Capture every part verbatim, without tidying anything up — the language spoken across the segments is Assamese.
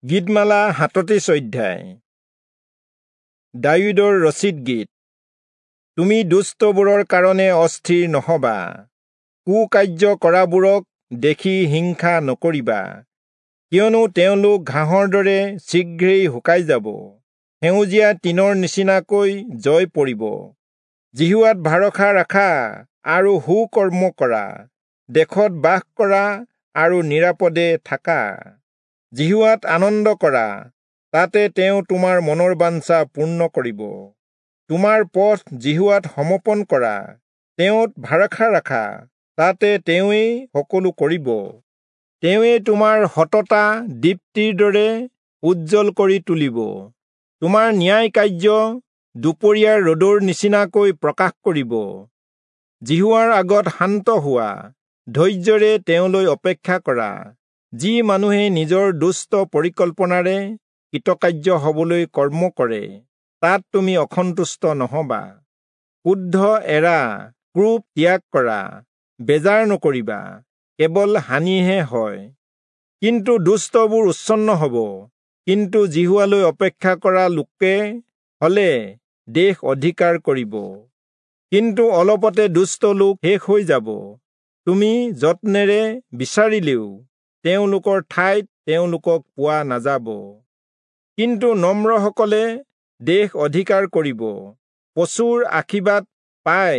গীতমালা সাতত্ৰিশ অধ্যায়। দায়ূদৰ ৰচিত গীত। তুমি দুষ্টবোৰৰ কাৰণে অস্থিৰ নহবা, কুকাৰ্য কৰাবোৰক দেখি হিংসা নকৰিবা, কিয়নো তেওঁলোক ঘাঁহৰ দৰে শীঘ্ৰেই শুকাই যাব, সেউজীয়া তৃণৰ নিচিনাকৈ জয় পৰিব। যিহোৱাত ভৰসা ৰাখা আৰু সুকৰ্ম কৰা, দেশত বাস কৰা আৰু নিৰাপদে থাকা। যিহোৱাত আনন্দ কৰা, তাতে তেওঁ তোমাৰ মনৰ বাঞ্ছা পূৰ্ণ কৰিব। তোমাৰ পথ যিহোৱাত সমৰ্পণ কৰা, তেওঁত ভৰসা ৰাখা, তাতে তেওঁৱেই সকলো কৰিব। তেওঁৱেই তোমাৰ সততা দীপ্তিৰ দৰে উজ্জ্বল কৰি তুলিব, তোমাৰ ন্যায় কাৰ্য দুপৰীয়াৰ ৰ'দৰ নিচিনাকৈ প্ৰকাশ কৰিব। যিহোৱাৰ আগত শান্ত হোৱা, ধৈৰ্যৰে তেওঁলৈ অপেক্ষা কৰা। যি মানুহে নিজৰ দুষ্ট পৰিকল্পনাৰে কৃতকাৰ্য হবলৈ কৰ্ম কৰে, তাত তুমি অসন্তুষ্ট নহবা। ক্ৰোধ এৰা, ক্ৰোধ ত্যাগ কৰা, বেজাৰ নকৰিবা, কেৱল হানিহে হয়। কিন্তু দুষ্টবোৰ উচ্ছন্ন হব, কিন্তু যিহোৱালৈ অপেক্ষা কৰা লোকে হলে দেশ অধিকাৰ কৰিব। কিন্তু অলপতে দুষ্ট লোক শেষ হৈ যাব, তুমি যত্নেৰে বিচাৰিলেও তেওঁলোকৰ ঠাইত তেওঁলোকক পোৱা নাযাব। কিন্তু নম্ৰসকলে দেশ অধিকাৰ কৰিব, প্ৰচুৰ আশীৰ্বাদ পাই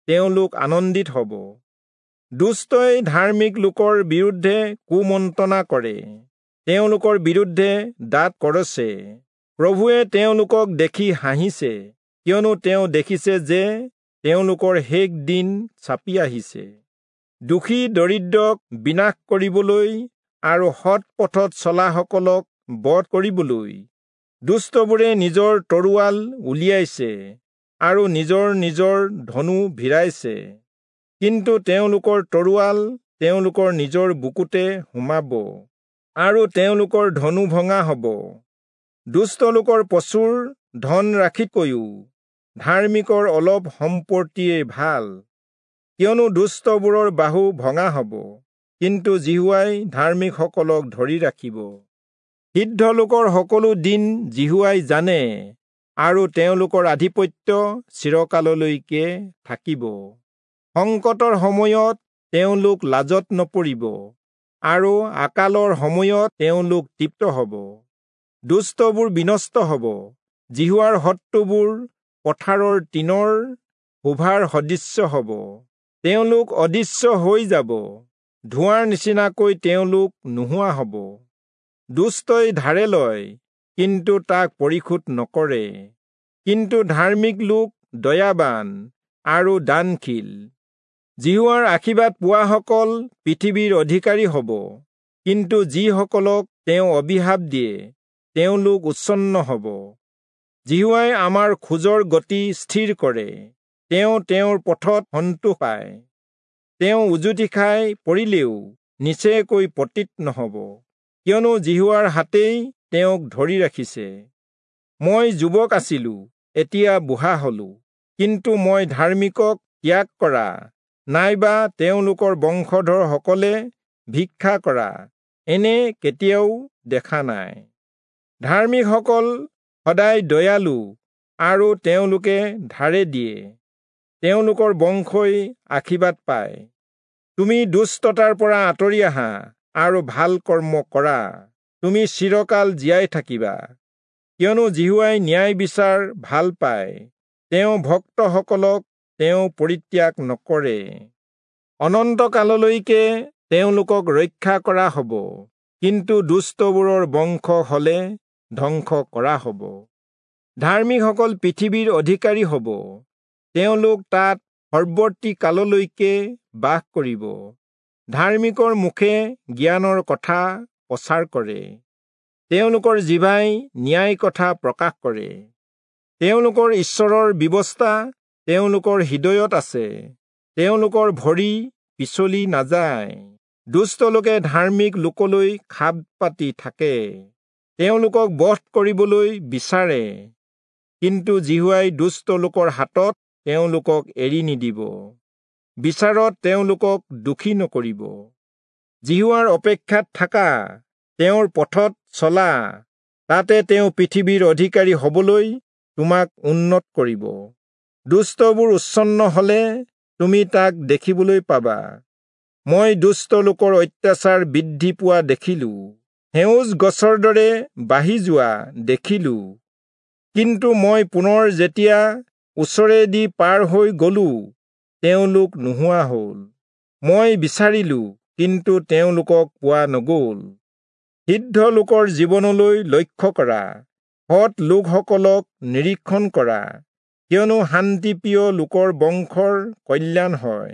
তেওঁলোক আনন্দিত হ'ব। দুষ্টই ধাৰ্মিক লোকৰ বিৰুদ্ধে কুমন্ত্ৰণা কৰে, তেওঁলোকৰ বিৰুদ্ধে দাঁত কৰছে। প্ৰভুৱে তেওঁলোকক দেখি হাঁহিছে, কিয়নো তেওঁ দেখিছে যে তেওঁলোকৰ শেষ দিন চাপি আহিছে। দোষী দৰিদ্ৰক বিনাশ কৰিবলৈ আৰু সৎ পথত চলাসকলক বধ কৰিবলৈ দুষ্টবোৰে নিজৰ তৰোৱাল উলিয়াইছে আৰু নিজৰ নিজৰ ধনু ভিৰাইছে। কিন্তু তেওঁলোকৰ তৰোৱাল তেওঁলোকৰ নিজৰ বুকুতে সোমাব আৰু তেওঁলোকৰ ধনু ভঙা হ'ব। দুষ্ট লোকৰ প্ৰচুৰ ধন ৰাশিতকৈও ধাৰ্মিকৰ অলপ সম্পত্তিয়ে ভাল, কিয়নো দুষ্টবোৰৰ বাহু ভঙা হ'ব, কিন্তু যিহোৱাই ধাৰ্মিকসকলক ধৰি ৰাখিব। সিদ্ধ লোকৰ সকলো দিন যিহোৱাই জানে, আৰু তেওঁলোকৰ আধিপত্য চিৰকাললৈকে থাকিব। সংকটৰ সময়ত তেওঁলোক লাজত নপৰিব, আৰু আকালৰ সময়ত তেওঁলোক তৃপ্ত হ'ব। দুষ্টবোৰ বিনষ্ট হ'ব, যিহোৱাৰ শত্ৰুবোৰ পথাৰৰ তৃণৰ শোভাৰ সদৃশ্য হ'ব। তেওঁলোক অদৃশ্য হৈ যাব, ধোঁৱাৰ নিচিনাকৈ তেওঁলোক নোহোৱা হ'ব। দুষ্টই ধাৰে লয়, কিন্তু তাক পৰিশোধ নকৰে, কিন্তু ধাৰ্মিক লোক দয়াবান আৰু দানশীল। যিহোৱাৰ আশীৰ্বাদ পোৱাসকল পৃথিৱীৰ অধিকাৰী হ'ব, কিন্তু যিসকলক তেওঁ অভিশাপ দিয়ে, তেওঁলোক উচ্ছন্ন হ'ব। যিহোৱাই আমাৰ খোজৰ গতি স্থিৰ কৰে, তেওঁ তেওঁৰ পথত সন্তোষ পায়। তেওঁ উজুটি খাই পৰিলেও নিচেকৈ পতিত নহ'ব, কিয়নো যিহোৱাৰ হাতেই তেওঁক ধৰি ৰাখিছে। মই যুৱক আছিলো, এতিয়া বুঢ়া হলো, কিন্তু মই ধাৰ্মিকক ত্যাগ কৰা নাইবা তেওঁলোকৰ বংশধৰসকলে ভিক্ষা কৰা এনে কেতিয়াও দেখা নাই। ধাৰ্মিকসকল সদায় দয়ালু আৰু তেওঁলোকে ধাৰে দিয়ে, তেওঁলোকৰ বংশই আশীৰ্বাদ পায়। তুমি দুষ্টতাৰ পৰা আঁতৰি আহা আৰু ভাল কৰ্ম কৰা, তুমি চিৰকাল জীয়াই থাকিবা। কিয়নো যিহোৱাই ন্যায় বিচাৰ ভাল পায়, তেওঁ ভক্তসকলক তেওঁ পৰিত্যাগ নকৰে। অনন্তকাললৈকে তেওঁলোকক ৰক্ষা কৰা হ'ব, কিন্তু দুষ্টবোৰৰ বংশ হলে ধ্বংস কৰা হ'ব। ধাৰ্মিকসকল পৃথিৱীৰ অধিকাৰী হ'ব, তেওঁলোক তাত সৰ্বৰ্তী কাললৈকে বাস কৰিব। ধাৰ্মিকৰ মুখে জ্ঞানৰ কথা প্ৰচাৰ কৰে, তেওঁলোকৰ জিভাই ন্যায় কথা প্ৰকাশ কৰে। তেওঁলোকৰ ঈশ্বৰৰ ব্যৱস্থা তেওঁলোকৰ হৃদয়ত আছে, তেওঁলোকৰ ভৰি পিছলি নাযায়। দুষ্ট লোকে ধাৰ্মিক লোকলৈ খাপ পাতি থাকে, তেওঁলোকক বধ কৰিবলৈ বিচাৰে, কিন্তু যিহোৱাই দুষ্ট লোকৰ হাতত তেওঁলোকক এৰি নিদিব, বিচাৰত তেওঁলোকক দোষী নকৰিব। যিহোৱাৰ অপেক্ষাত থাকা, তেওঁৰ পথত চলা, তাতে তেওঁ পৃথিৱীৰ অধিকাৰী হবলৈ তোমাক উন্নত কৰিব। দুষ্টবোৰ উচ্ছন্ন হলে তুমি তাক দেখিবলৈ পাবা। মই দুষ্ট লোকৰ অত্যাচাৰ বৃদ্ধি পোৱা দেখিলো, সেউজ গছৰ দৰে বাঢ়ি যোৱা দেখিলো। কিন্তু মই পুনৰ যেতিয়া ওচৰেদি পাৰ হৈ গলো, তেওঁলোক নোহোৱা হল। মই বিচাৰিলো, কিন্তু তেওঁলোকক পোৱা নগল। সিদ্ধ লোকৰ জীৱনলৈ লক্ষ্য কৰা, সৎ লোকসকলক নিৰীক্ষণ কৰা, কিয়নো শান্তিপ্ৰিয় লোকৰ বংশৰ কল্যাণ হয়,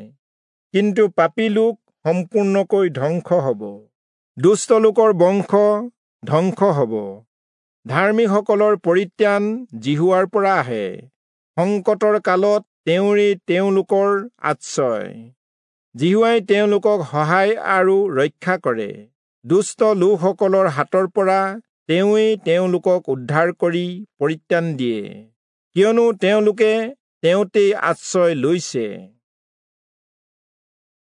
কিন্তু পাপী লোক সম্পূৰ্ণকৈ ধ্বংস হব। দুষ্ট লোকৰ বংশ ধ্বংস হব। ধাৰ্মিকসকলৰ পৰিত্ৰাণ যিহোৱাৰ পৰা আহে, সংকটৰ কালত তেওঁৰেই তেওঁলোকৰ আশ্ৰয়। যিহোৱাই তেওঁলোকক সহায় আৰু ৰক্ষা কৰে, দুষ্ট লোকসকলৰ হাতৰ পৰা তেওঁৱেই তেওঁলোকক উদ্ধাৰ কৰি পৰিত্ৰাণ দিয়ে, কিয়নো তেওঁলোকে তেওঁতেই আশ্ৰয় লৈছে।